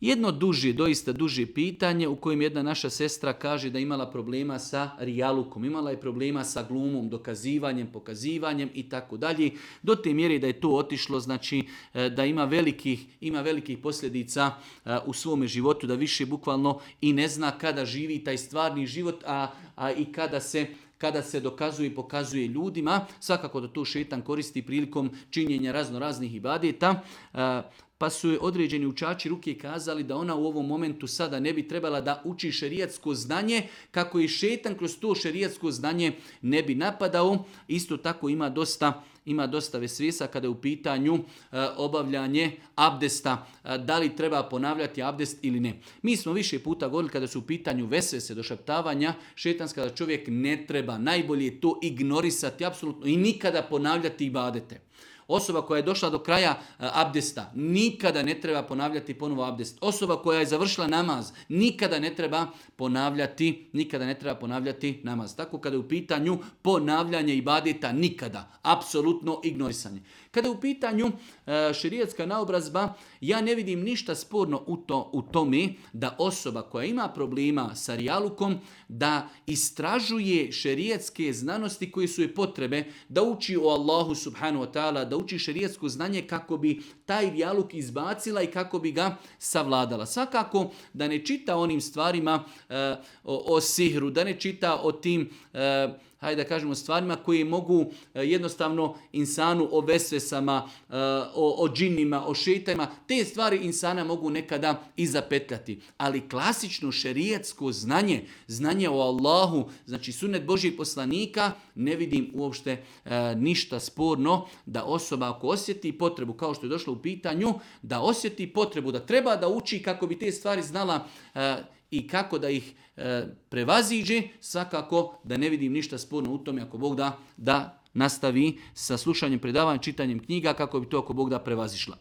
Jedno duže, doista duže pitanje u kojem jedna naša sestra kaže da imala problema sa rijalukom, imala je problema sa glumom, dokazivanjem, pokazivanjem i tako dalje. Do te mjere da je to otišlo, znači da ima velikih posljedica u svome životu, da više bukvalno i ne zna kada živi taj stvarni život, a i kada se dokazuje i pokazuje ljudima. Svakako da to šejtan koristi prilikom činjenja raznih ibadeta. Pa su određeni učači ruke kazali da ona u ovom momentu sada ne bi trebala da uči šerijatsko znanje, kako i šejtan kroz to šerijatsko znanje ne bi napadao. Isto tako ima dosta vesvesa kada je u pitanju obavljanje abdesta, da li treba ponavljati abdest ili ne. Mi smo više puta govorili kada su u pitanju vesvese, došaptavanja šejtanska, da čovjek ne treba, najbolje je to ignorisati apsolutno i nikada ponavljati ibadete. Osoba koja je došla do kraja abdesta, nikada ne treba ponavljati ponovo abdest. Osoba koja je završila namaz, nikada ne treba ponavljati namaz. Tako kada je u pitanju ponavljanje ibadeta, nikada, apsolutno ignorisanje. Kada je u pitanju šerijatska naobrazba, ja ne vidim ništa sporno u tome da osoba koja ima problema sa rijalukom, da istražuje šerijatske znanosti koje su joj potrebe, da uči o Allahu subhanahu wa ta'ala, da uči šerijatsko znanje kako bi taj rijaluk izbacila i kako bi ga savladala. Svakako da ne čita onim stvarima o sihru, da ne čita o tim hajde da kažemo stvarima koje mogu jednostavno insanu o vesvesama, o džinima, o šeitanima, te stvari insana mogu nekada i zapetljati. Ali klasično šerijatsko znanje o Allahu, znači sunnet Božjih poslanika, ne vidim uopšte ništa sporno da osoba ako osjeti potrebu, kao što je došlo u pitanju, da osjeti potrebu, da treba da uči kako bi te stvari znala i kako da ih prevaziđe, svakako da ne vidim ništa sporno u tome ako Bog da nastavi sa slušanjem predavanja, čitanjem knjiga kako bi to ako Bog da prevazišla.